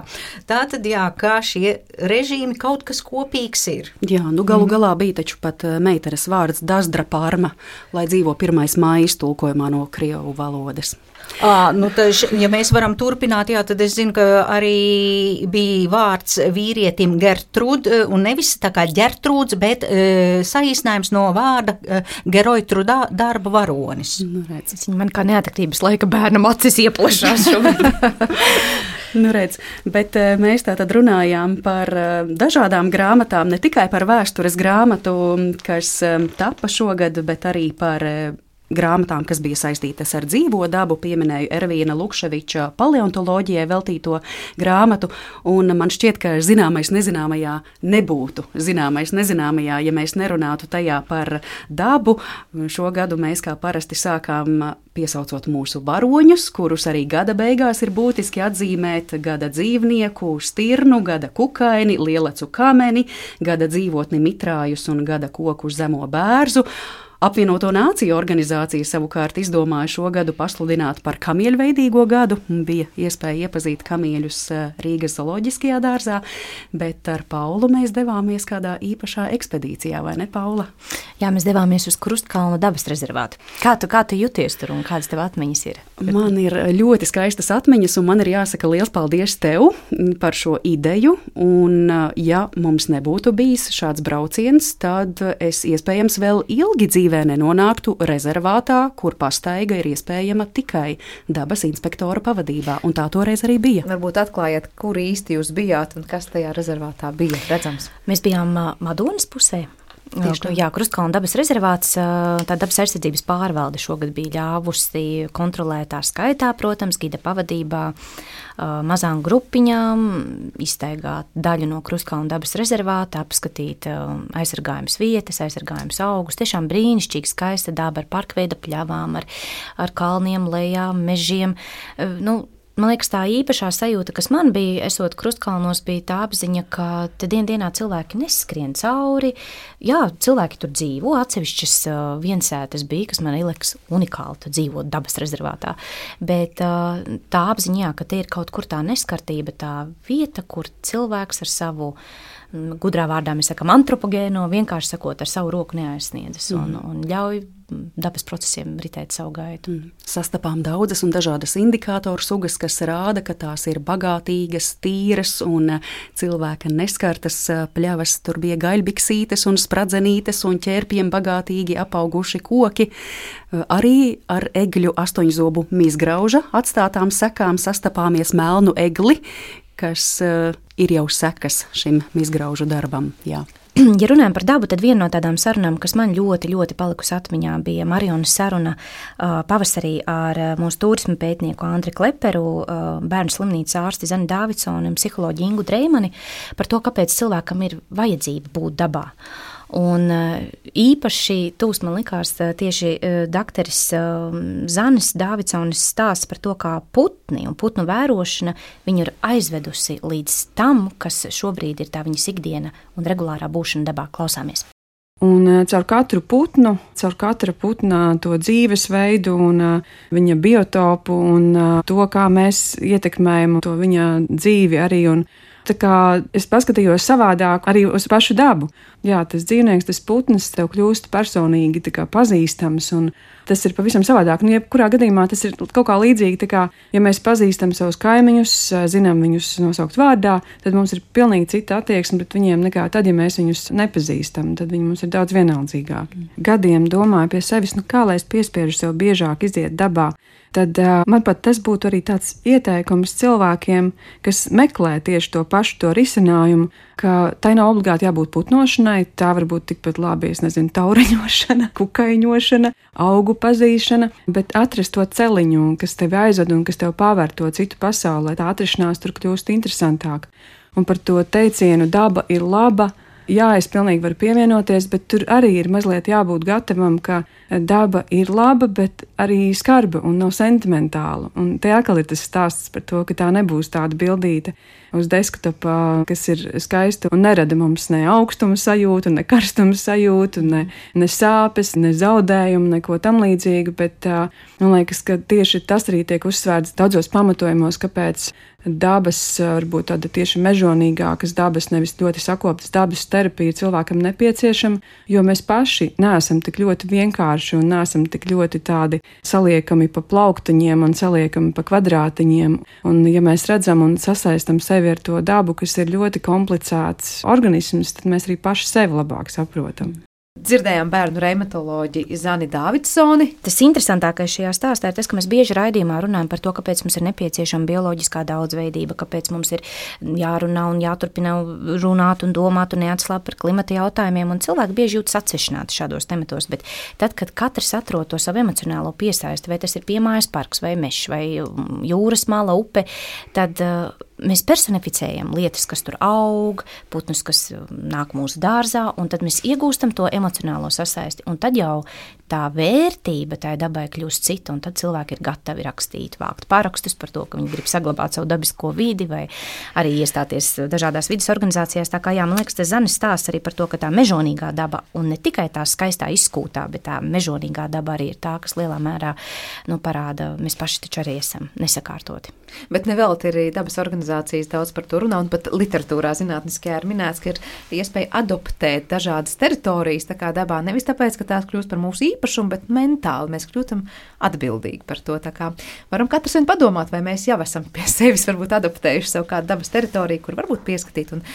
Speaker 3: Tātad, jā, kā šie režīmi kaut kas kopīgs ir.
Speaker 4: Jā, nu galu galā bija taču pat meitenes vārds Dazdra Parma, lai dzīvo 1. māja iztulkojumā no krievu valodas.
Speaker 3: Nu, ja mēs varam turpināt, jā, tad es zinu, ka arī bija vārds vīrietim Gertrud, un nevis tā kā Ģertrūds, bet saīsinājums no vārda Geroitru darba varonis.
Speaker 2: Nu, redz, man kā neatraktības laika bērnam acis ieplašās šobrīd.
Speaker 4: Nu, redz, bet mēs tātad runājām par dažādām grāmatām, ne tikai par vēstures grāmatu, kas tapa šogad, bet arī par grāmatām, kas bija saistītas ar dzīvo dabu. Pieminēju Ervīna Lukševiča paleontoloģijai veltīto grāmatu, un man šķiet, ka zināmais nezināmajā nebūtu zināmais nezināmajā, ja mēs nerunātu tajā par dabu. Šo gadu mēs kā parasti sākām piesaucot mūsu varoņus, kurus arī gada beigās ir būtiski atzīmēt: gada dzīvnieku, stirnu, gada kukaini, lielecu kameni, gada dzīvotni mitrājus un gada koku zemo bērzu. Apvienoto Nāciju organizācija savukārt izdomāja šo gadu pasludināt par kamieļveidīgo gadu. Bija iespēja iepazīt kamieļus Rīgas zooloģiskajā dārzā, bet ar Paulu mēs devāmies kādā īpašā ekspedīcijā, vai ne, Paula?
Speaker 2: Jā, mēs devāmies uz Krustkalna dabas rezervātu. Kā tu jūties tur un kādas tev atmiņas ir?
Speaker 4: Man ir ļoti skaistas atmiņas, un man ir jāsaka liels paldies tev par šo ideju. Un, ja mums nebūtu bijis šāds brauciens, tad es iespējams vēl ilgi dzīvē nenonāktu rezervātā, kur pastaiga ir iespējama tikai dabas inspektora pavadībā, un tā toreiz arī bija.
Speaker 1: Varbūt atklājiet, kur īsti jūs bijāt un kas tajā rezervātā bija redzams?
Speaker 2: Mēs bijām Madonas pusē. Jā, Krustkalna dabas rezervāts, tā dabas aizsardzības pārvalde šogad bija ļāvusi kontrolētā skaitā, protams, gida pavadībā, mazām grupiņām izstaigāt daļu no Krustkalna dabas rezervāta, apskatīt aizsargājumas vietas, aizsargājumus augus. Tiešām brīnišķīgi skaista daba ar parkveida pļavām, ar kalniem, lejām, mežiem. Man liekas, tā īpašā sajūta, kas man bija, esot Krustkalnos, bija tā apziņa, ka te dienā cilvēki neskrien cauri. Jā, cilvēki tur dzīvo, atsevišķas viensētas bija, kas man liekas unikāli, tu dzīvot dabas rezervātā. Bet tā apziņa, jā, ka te ir kaut kur tā neskartība, tā vieta, kur cilvēks ar savu, gudrā vārdā mēs sakam antropogēno, vienkārši sakot, ar savu roku neaizsniedzas un ļauj dabas procesiem ritēt savu gaitu.
Speaker 4: Sastapām daudzas un dažādas indikātoru sugas, kas rāda, ka tās ir bagātīgas, tīras un cilvēka neskartas pļavas. Tur bija gaļbiksītes un spradzenītes un ķērpiem bagātīgi apauguši koki. Arī ar egļu astoņzobu mizgrauža atstātām sekām sastapāmies melnu egli, kas ir jau sekas šim mizgraužu darbam. Jā.
Speaker 2: Ja runājam par dabu, tad viena no tādām sarunām, kas man ļoti, ļoti palikusi atmiņā, bija Marijonas saruna pavasarī ar mūsu turisma pētnieku Andri Kleperu, bērnu slimnīcas ārsti Zani Dāvidsoni un psiholoģi Ingu Dreimani par to, kāpēc cilvēkam ir vajadzība būt dabā. Un īpaši tūs man likās tieši dakteris Zanis Dāvidsonis stāsts par to, kā putni un putnu vērošana viņu ir aizvedusi līdz tam, kas šobrīd ir tā viņas ikdiena un regulārā būšana dabā. Klausāmies.
Speaker 10: Un caur katru putnu, caur katra putna to dzīvesveidu un viņa biotopu un to, kā mēs ietekmējam to viņa dzīvi arī. Un tā kā es paskatījos savādāk arī uz pašu dabu. Jā, tas dzīvnieks, tas putns tev kļūst personīgi tā kā pazīstams, un tas ir pavisam savādāk. Un jebkurā gadījumā tas ir kaut kā līdzīgi, tā kā, ja mēs pazīstam savus kaimiņus, zinām viņus nosaukt vārdā, tad mums ir pilnīgi cita attieksme pret viņiem nekā tad, ja mēs viņus nepazīstam, tad viņi mums ir daudz vienaldzīgāki. Gadiem domāju pie sevis, kā lai es piespiežu sev biežāk iziet dabā. Tad man pat tas būtu arī tāds ieteikums cilvēkiem, kas meklē tieši to pašu to risinājumu, ka tai nav obligāti jābūt putnošanai, tā var būt tikpat labi, taureņošana, kukaiņošana, augu pazīšana, bet atrast to celiņu, kas tevi aizved un kas tev pavēr to citu pasauli, lai tā atrašanās tur kļūst interesantāk. Un par to teicienu daba ir laba, jā, es pilnīgi varu pievienoties, bet tur arī ir mazliet jābūt gatavam, ka daba ir laba, bet arī skarba un nav sentimentāla. Un te atkal ir tas stāsts par to, ka tā nebūs tāda bildīte uz desktopā, kas ir skaista un nerada mums ne augstuma sajūtu, ne karstuma sajūtu, ne sāpes, ne zaudējumu, neko tam līdzīgu, bet man liekas, ka tieši tas arī tiek uzsvērts daudzos pamatojumos, kāpēc dabas, varbūt tāda tieši mežonīgākas dabas, nevis ļoti sakoptas dabas terapija cilvēkam nepieciešama, jo mēs paši neesam tik ļoti vienkārši un neesam tik ļoti tādi saliekami pa plauktiņiem un saliekami pa kvadrātiņiem. Un ja mēs redzam un sasaistam sevi ar to dabu, kas ir ļoti komplicēts organisms, tad mēs arī paši sevi labāk saprotam.
Speaker 1: Dzirdējām bērnu reumatoloģi Zani Dāvidsoni.
Speaker 2: Tas interesantākais šajā stāstā ir tas, ka mēs bieži raidījumā runājam par to, kāpēc mums ir nepieciešama bioloģiskā daudzveidība, kāpēc mums ir jārunā un jāturpina runāt un domāt un neatslāpt par klimata jautājumiem, un cilvēki bieži jūtas atsevišķināti šādos tematos, bet tad, kad katrs atrod to savu emocionālo piesaisti, vai tas ir piemājas parks, vai mežs, vai jūras mala, upe, tad mēs personificējam lietas, kas tur aug, putnus, kas nāk mūsu dārzā, un tad mēs iegūstam to emocionālo sasaisti, un tad jau tā vērtība tai dabai kļūst cita, un tad cilvēki ir gatavi rakstīt, vākt parakstus par to, ka viņi grib saglabāt savu dabisko vidi, vai arī iestāties dažādās vidas organizācijās. Tā kā jā, man liekas, tas Zanis stāsts arī par to, ka tā mežonīgā daba, un ne tikai tā skaistā izskūtā, bet tā mežonīgā daba arī ir tā, kas lielā mērā parāda, mēs paši taču arī esam nesakārtoti.
Speaker 1: Bet nevelti arī dabas organizācijas daudz par to runā, un pat literatūrā zinātniskajā ir minēts, ka ir iespēja adoptēt dažādas teritorijas tā kā dabā, nevis tāpēc, ka tās kļūst par mūsu īpašumu, bet mentāli mēs kļūtam atbildīgi par to. Tā kā varam katrs vien padomāt, vai mēs jau esam pie sevis varbūt adoptējuši savu kādu dabas teritoriju, kur varbūt pieskatīt un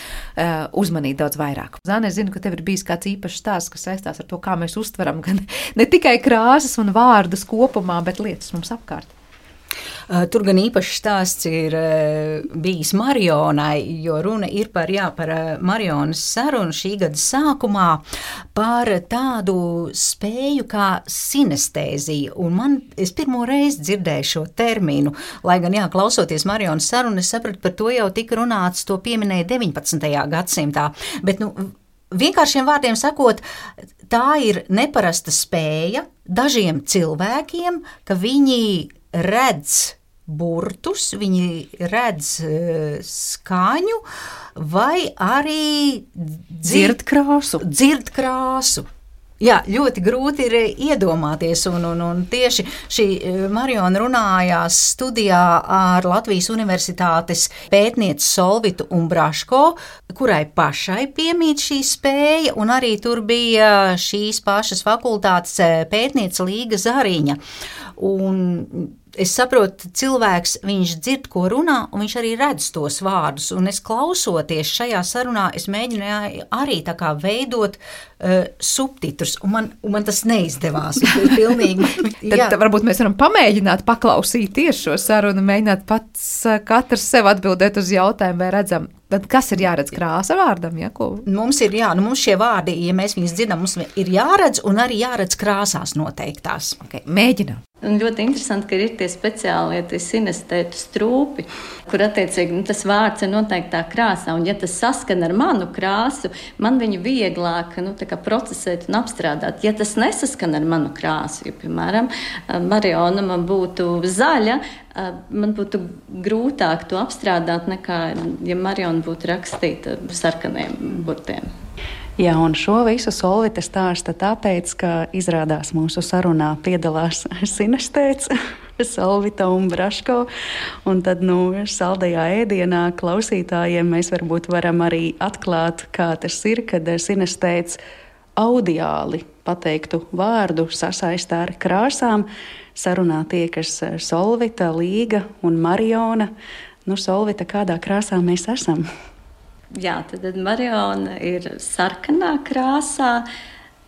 Speaker 1: uzmanīt daudz vairāk. Zāne, es zinu, ka tev ir bijis kāds īpašs stāsts, kas saistās ar to, kā mēs uztveram gan ne tikai krāsas un vārdus kopumā, bet lietas mums apkārt.
Speaker 3: Tur gan īpašs stāsts ir bijis Marionai, jo runa ir par Marionas sarunu šī gada sākumā par tādu spēju kā sinestēzija. Un es pirmo reizi dzirdēju šo terminu, lai gan klausoties Marionas sarunu, es sapratu, par to jau tika runāts, to pieminēja 19. gadsimtā. Bet, vienkāršiem vārdiem sakot, tā ir neparasta spēja dažiem cilvēkiem, ka viņi redz burtus, viņi redz skaņu vai arī dzird krāsu. Jā, ļoti grūti ir iedomāties, un tieši šī Mariona runājās studijā ar Latvijas Universitātes pētnieci Solvitu Umbraško, kurai pašai piemīt šī spēja, un arī tur bija šīs pašas fakultātes pētniece Līga Zariņa. Un es saprotu, cilvēks, viņš dzird, ko runā, un viņš arī redz tos vārdus. Un es klausoties šajā sarunā, es mēģināju arī tā kā veidot subtitrus, un man tas neizdevās.
Speaker 1: Tad varbūt mēs varam pamēģināt paklausīt tieši šo sarunu, mēģināt pats katrs sev atbildēt uz jautājumu, vai redzam. Tad kas ir jāredz krāsa vārdam? Ja,
Speaker 3: mums ir mums šie vārdi, ja mēs viņus dzirdam, mums ir jāredz un arī jāredz krāsās noteiktās.
Speaker 1: Okay, mēģinām.
Speaker 11: Un ļoti interesanti, ka ir tie speciālie sinestētu strūpi, kur attiecīgi tas vārds ir noteiktā krāsā. Un ja tas saskan ar manu krāsu, man viņu vieglāk procesēt un apstrādāt. Ja tas nesaskan ar manu krāsu, jo, piemēram, Mariona man būtu zaļa, man būtu grūtāk to apstrādāt nekā, ja Mariona būtu rakstīta sarkaniem burtiem.
Speaker 4: Jā, un šo visu Solvita stāsta tāpēc, ka izrādās mūsu sarunā piedalās sinestēts Solvita Umbraško, un tad saldajā ēdienā klausītājiem mēs varbūt varam arī atklāt, kā tas ir, kad sinestēts audiāli pateiktu vārdu sasaistā ar krāsām. Sarunā tiekas Solvita, Līga un Mariona. Solvita, kādā krāsā mēs esam?
Speaker 11: Jā, tad Mariona ir sarkanā krāsā,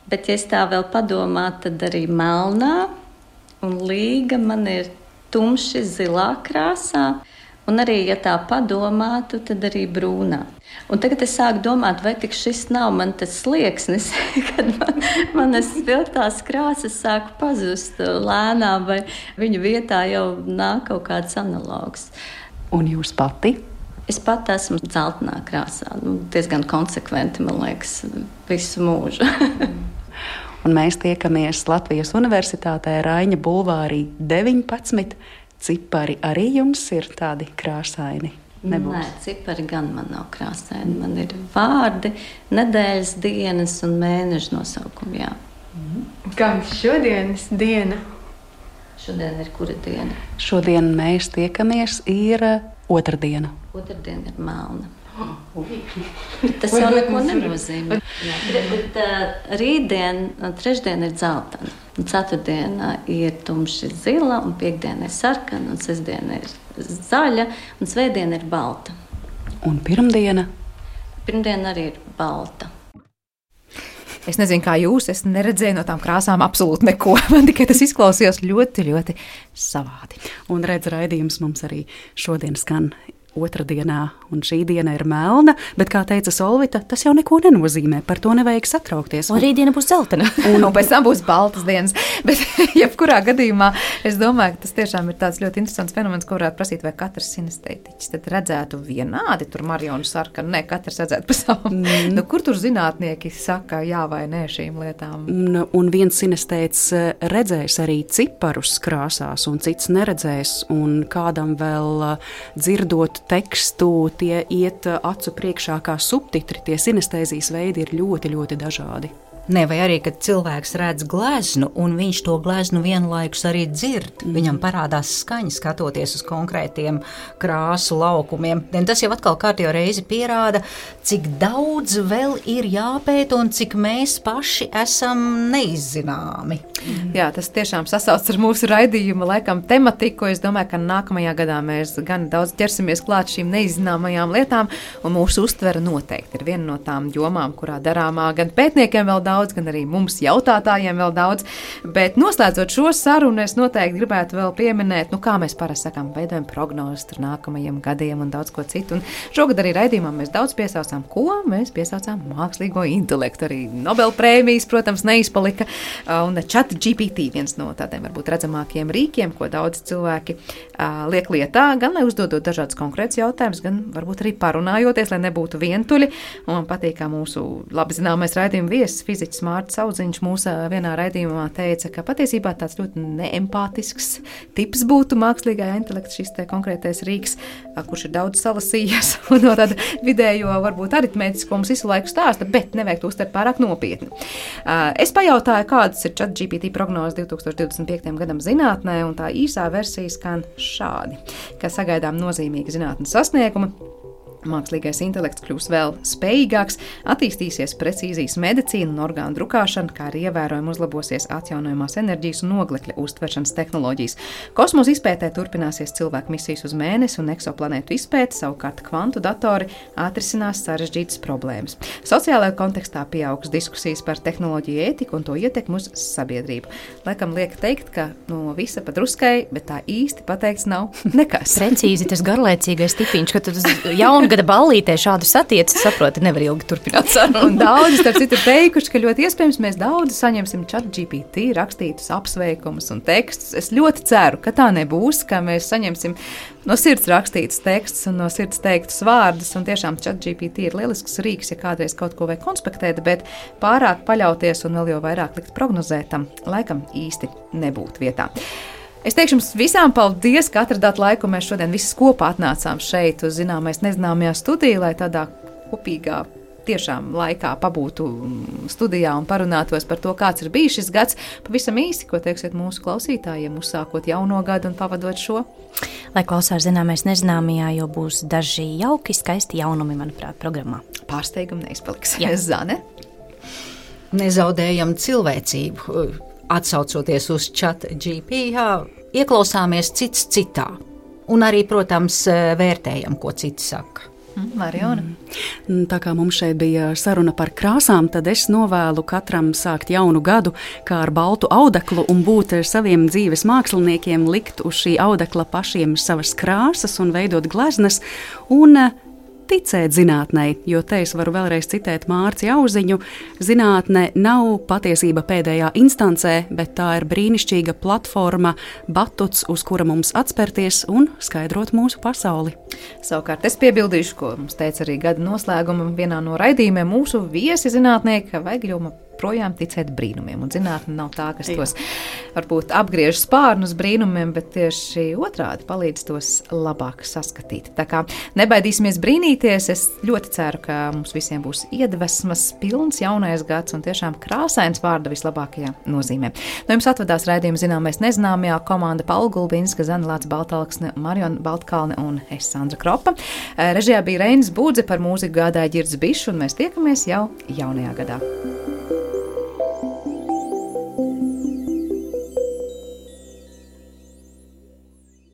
Speaker 11: bet, ja es tā vēl padomātu, tad arī melnā, un Līga man ir tumši zilā krāsā, un arī, ja tā padomātu, tad arī brūnā. Un tagad es sāku domāt, vai tik šis nav man tas slieksnis, kad manas viltās krāsas sāk pazust lēnām, vai viņu vietā jau nāk kaut kāds analogs.
Speaker 4: Un jūs pati?
Speaker 11: Es pat esmu dzeltenā krāsā, diezgan konsekventi, man liekas, visu mūžu.
Speaker 4: Un mēs tiekamies Latvijas Universitātē Raiņa bulvārī 19. Cipari arī jums ir tādi krāsaini? Nebūs.
Speaker 11: Nē, cipari gan man nav krāsaini. Man ir vārdi, nedēļas dienas un mēneša nosaukumi, jā.
Speaker 12: Kāda šodienas diena?
Speaker 11: Šodien ir kura diena?
Speaker 4: Šodien mēs tiekamies ir otrdiena.
Speaker 11: Otrdiena ir melna. Tas jau neko nenozīmē. Bet rītdien, trešdiena ir dzeltena. Ceturtdiena ir tumši zila, un piekdiena ir sarkana, un sestdiena ir zaļa, un svētdiena ir balta.
Speaker 4: Un pirmdiena?
Speaker 11: Pirmdiena arī ir balta.
Speaker 1: Es nezinu, kā jūs, es neredzēju no tām krāsām absolūti neko. Man tikai tas izklausījās ļoti, ļoti savādi.
Speaker 4: Un redz, raidījums mums arī šodien skan otrdienā, un šī diena ir melna, bet, kā teica Solvita, tas jau neko nenozīmē, par to nevajag satraukties.
Speaker 2: Un rītdiena būs dzeltena.
Speaker 1: Un pēc tam būs baltas dienas. Bet, jebkurā gadījumā, es domāju, ka tas tiešām ir tāds ļoti interesants fenomens, ko varētu prasīt, vai katrs sinestētiķis tad redzētu vienādi, tur Marionu sarkanu, ne, katrs redzētu pa savu. Kur tur zinātnieki saka jā vai nē šīm lietām?
Speaker 4: Un viens sinestēts redzēs arī ciparus krāsās, un cits neredzēs, un kādam vēl dzirdot tekstu, tie iet acu priekšā kā subtitri. Tie sinestēzijas veidi ir ļoti, ļoti dažādi.
Speaker 3: Ne, vai arī, kad cilvēks redz gleznu, un viņš to gleznu vienlaikus arī dzird. Viņam parādās skaņa, skatoties uz konkrētiem krāsu laukumiem. Un tas jau atkal kārtējo reizi pierāda, cik daudz vēl ir jāpēta un cik mēs paši esam neizzināmi.
Speaker 1: Jā, tas tiešām sasauc ar mūsu raidījuma laikam tematiku. Es domāju, ka nākamajā gadā mēs gan daudz ķersimies klāt šīm neizzināmajām lietām, un mūsu uztvere noteikti ir viena no tām jomām, kurā darāmā gan pētniekiem vēl daudz, gan arī mums jautātājiem vēl daudz. Bet noslēdzot šo sarunu, es noteikti gribētu vēl pieminēt, kā mēs parasti sakām, veidojam prognozes tur nākamajiem gadiem un daudz ko citu. Un šogad arī raidījumā mēs daudz piesaucām, ko mēs piesaucām mākslīgo intelektu. Arī Nobelprēmijas, protams, neizpalika. Un ChatGPT viens no tādiem varbūt redzamākiem rīkiem, ko daudz cilvēki liek lietā, gan lai uzdodot dažādus konkrētus jautājumus, gan varbūt arī parunājoties, lai nebūtu vientuļi. Un man patīk, kā mūsu labi zināmais raidījuma viesis, fiziķis Mārts Audziņš mūsu vienā raidījumā teica, ka patiesībā tāds ļoti neempātisks tips būtu mākslīgajā intelekta šis te konkrētais rīks, kurš ir daudz salasījies un no tāda vidējo, varbūt aritmētisko mums visu laiku stāsta, bet nevajag to uztvert pārāk nopietni. Es pajautāju, kādas ir ChatGPT prognozes 2025. gadam zinātnē, un tā īsā versija skan šādi, ka sagaidām nozīmīgi zinātnes sasniegumi. Mākslīgais intelekts kļūs vēl spējīgāks, attīstīsies precīzijas medicīna un orgānu drukāšana, kā arī ievērojami uzlabosies atjaunojamās enerģijas un oglekļa uztveršanas tehnoloģijas. Kosmosa izpētē turpināsies cilvēku misijas uz Mēnesi un eksoplanētu izpēte, savukārt kvantu datori atrisinās sarežģītas problēmas. Sociālajā kontekstā pieaugs diskusijas par tehnoloģiju ētiku un to ietekmi uz sabiedrību. Laikam liek teikt, ka no visa pa druskai, bet tā īsti pateikts nav nekas.
Speaker 2: Precīzi tas garlaicīgais tipiņš, ka tas jaungada ballītē šādu satiecu, saproti, nevar ilgi turpināt sarunu.
Speaker 1: Un daudzi, starp citu, ir teikuši, ka ļoti iespējams mēs daudz saņemsim ChatGPT rakstītus apsveikumus un tekstus. Es ļoti ceru, ka tā nebūs, ka mēs saņemsim no sirds rakstītus tekstus un no sirds teiktus vārdus, un tiešām ChatGPT ir lielisks rīks, ja kādreiz kaut ko vajag konspektēt, bet pārāk paļauties un vēl jau vairāk likt prognozētam, laikam īsti nebūtu vietā. Es teikšu jums visām paldies, ka atradāt laiku. Mēs šodien visi kopā atnācām šeit uz zināmais nezināmajā studijā, lai tādā kopīgā tiešām laikā pabūtu studijā un parunātos par to, kāds ir bijis šis gads. Pavisam īsi, ko teiksiet mūsu klausītājiem, uzsākot jauno gadu un pavadot šo?
Speaker 2: Lai klausās zināmais nezināmajā, jo būs daži jauki, skaisti jaunumi, manuprāt, programmā.
Speaker 1: Pārsteigumi neizpaliks.
Speaker 2: Jā.
Speaker 1: Zane?
Speaker 3: Nezaudējam cilvēcību. Atsaucoties uz ChatGPT, ieklausāmies cits citā. Un arī, protams, vērtējam, ko citi saka.
Speaker 1: Mariona.
Speaker 4: Tā kā mums šeit bija saruna par krāsām, tad es novēlu katram sākt jaunu gadu kā ar baltu audeklu un būt saviem dzīves māksliniekiem, likt uz šī audekla pašiem savas krāsas un veidot gleznas un ticēt zinātnei, jo te es varu vēlreiz citēt Mārci Auziņu. Zinātne nav patiesība pēdējā instancē, bet tā ir brīnišķīga platforma, batuts, uz kura mums atspērties un skaidrot mūsu pasauli.
Speaker 1: Savukārt es piebildīšu, ko mums teica arī gada noslēguma vienā no raidījumiem mūsu viesi zinātnieki, ka vajag projām ticēt brīnumiem, un zinātne nav tā, kas tos varbūt apgriež spārnus brīnumiem, bet tieši otrādi palīdz tos labāk saskatīt. Tā kā nebaidīsimies brīnīties, es ļoti ceru, ka mums visiem būs iedvesmas pilns jaunais gads un tiešām krāsains vārda vislabākajā nozīmē. No jums atvadās raidījuma Zināmais nezināmajā komanda Paula Gulbinska, Zana Lāca Baltalksne, Mariona Baltkalne un es Sandra Kropa. Režijā bija Reinis Būdze, par mūziku gādāja Ģirds Bišs, un mēs tiekamies jau jaunajā gadā.